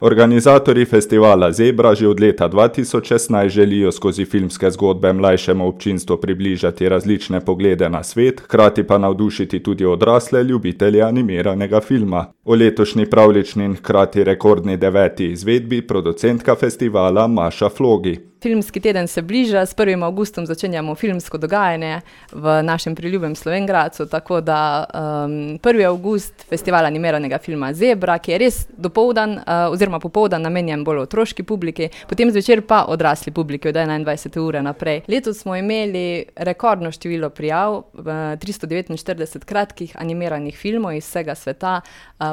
Organizatorji festivala Zebra že od leta 2016 želijo skozi filmske zgodbe mlajšemu občinstvu približati različne poglede na svet, hkrati pa navdušiti tudi odrasle ljubitelje animiranega filma. V letošnji pravljični in hkrati rekordni 9. izvedbi producentka festivala Maša Flogi. Filmski teden se bliža, s 1. avgustom začenjamo filmsko dogajanje v našem priljubem Slovenj Gradcu, tako da 1. avgust festival animiranega filma Zebra, ki je res dopoldan oziroma popoldan namenjen bolj otroški publiki, potem zvečer pa odrasli publiki od 21. ure naprej. Letos smo imeli rekordno število prijav, 349 kratkih animiranih filmov iz vsega sveta,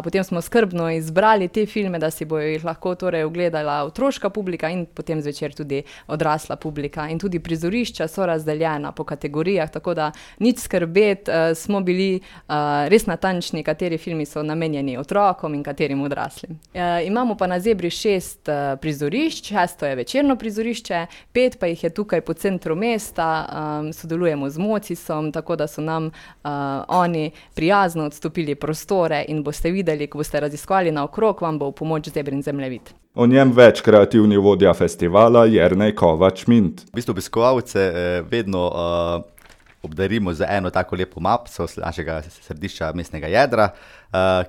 potem smo skrbno izbrali te filme, da si bojo jih lahko torej ogledala otroška publika in potem zvečer tudi odrasla publika. In tudi prizorišča so razdeljena po kategorijah, tako da nič skrbeti, smo bili res natančni, kateri filmi so namenjeni otrokom in katerim odraslim. Imamo pa na Zebri 6 prizorišč, 6 je večerno prizorišče, 5 pa jih je tukaj po centru mesta, sodelujemo z Mocisom, tako da so nam oni prijazno odstopili prostore in boste videli, ko boste raziskovali naokrog, vam bo v pomoč Zebrin zemljevid. O njem več kreativni vodja festivala Jernej Kovač-Mint. V bistvu obiskovalce vedno obdarimo z eno tako lepo mapico našega središča mestnega jedra,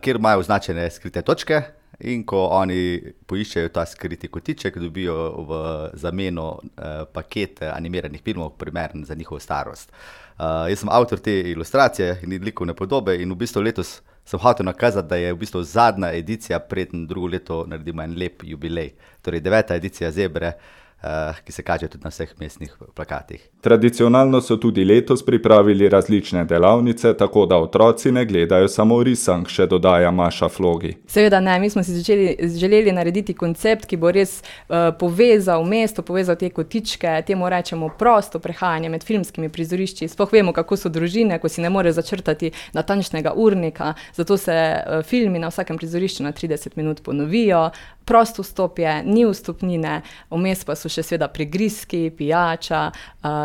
kjer imajo označene skrite točke in ko oni poiščejo ta skriti kotiček, dobijo v zameno paket animiranih filmov, primeren za njihovo starost. Jaz sem avtor te ilustracije in likovne podobe in v bistvu letos sem hotel nakazati, da je v bistvu zadnja edicija, preden drugo leto naredimo en lep jubilej. Torej 9. edicija Zebre, ki se kaže tudi na vseh mestnih plakatih. Tradicionalno so tudi letos pripravili različne delavnice, tako da otroci ne gledajo samo risank, še dodaja Maša Flogi. Seveda ne, mi smo si želeli narediti koncept, ki bo res povezal mesto, povezal te kotičke, temu rečemo prosto prehajanje med filmskimi prizorišči. Sploh vemo, kako so družine, ko si ne more začrtati natančnega urnika, zato se filmi na vsakem prizorišču na 30 minut ponovijo. Prosto vstop je, ni vstopnine, vmes pa so še seveda prigrizki, pijača.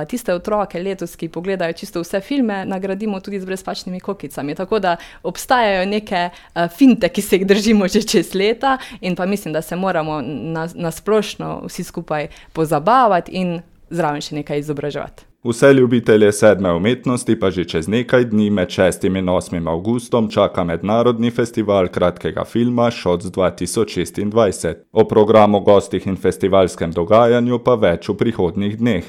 Tiste otroke letos, ki pogledajo čisto vse filme, nagradimo tudi z brezplačnimi kokicami. Tako da obstajajo neke finte, ki se jih držimo že čez leta in pa mislim, da se moramo na splošno vsi skupaj pozabavati in zraven še nekaj izobraževati. Vse ljubitelje sedme umetnosti pa že čez nekaj dni med 6. in 8. avgustom čaka mednarodni festival kratkega filma Shots 2026. O programu, gostih in festivalskem dogajanju pa več v prihodnjih dneh.